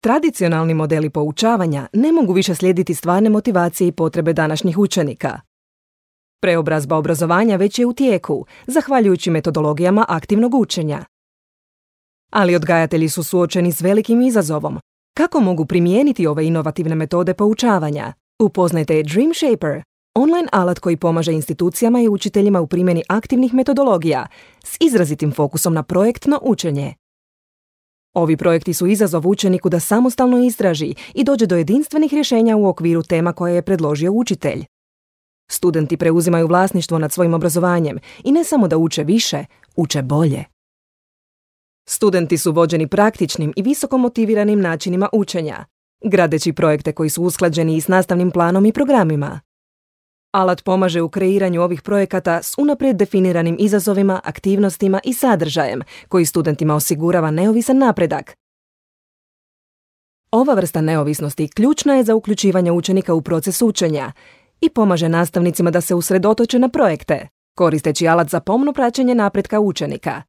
Tradicionalni modeli poučavanja ne mogu više slijediti stvarne motivacije i potrebe današnjih učenika. Preobrazba obrazovanja već je u tijeku, zahvaljujući metodologijama aktivnog učenja. Ali odgajatelji su suočeni s velikim izazovom. Kako mogu primijeniti ove inovativne metode poučavanja? Upoznajte Dream Shaper, online alat koji pomaže institucijama i učiteljima u primjeni aktivnih metodologija s izrazitim fokusom na projektno učenje. Ovi projekti su izazov učeniku da samostalno istraži i dođe do jedinstvenih rješenja u okviru tema koje je predložio učitelj. Studenti preuzimaju vlasništvo nad svojim obrazovanjem i ne samo da uče više, uče bolje. Studenti su vođeni praktičnim i visoko motiviranim načinima učenja, gradeći projekte koji su usklađeni i s nastavnim planom i programima. Alat pomaže u kreiranju ovih projekata s unaprijed definiranim izazovima, aktivnostima i sadržajem koji studentima osigurava neovisan napredak. Ova vrsta neovisnosti ključna je za uključivanje učenika u proces učenja i pomaže nastavnicima da se usredotoče na projekte, koristeći alat za pomno praćenje napretka učenika,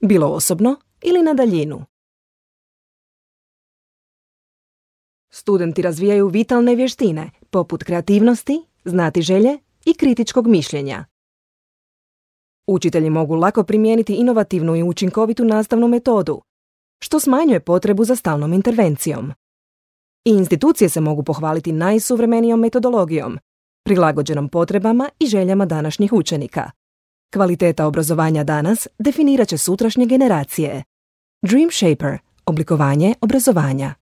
bilo osobno ili na daljinu. Studenti razvijaju vitalne vještine, poput kreativnosti, znatiželje i kritičkog mišljenja. Učitelji mogu lako primijeniti inovativnu i učinkovitu nastavnu metodu, što smanjuje potrebu za stalnom intervencijom. I institucije se mogu pohvaliti najsuvremenijom metodologijom, prilagođenom potrebama i željama današnjih učenika. Kvaliteta obrazovanja danas definirat će sutrašnje generacije. Dream Shaper – oblikovanje obrazovanja.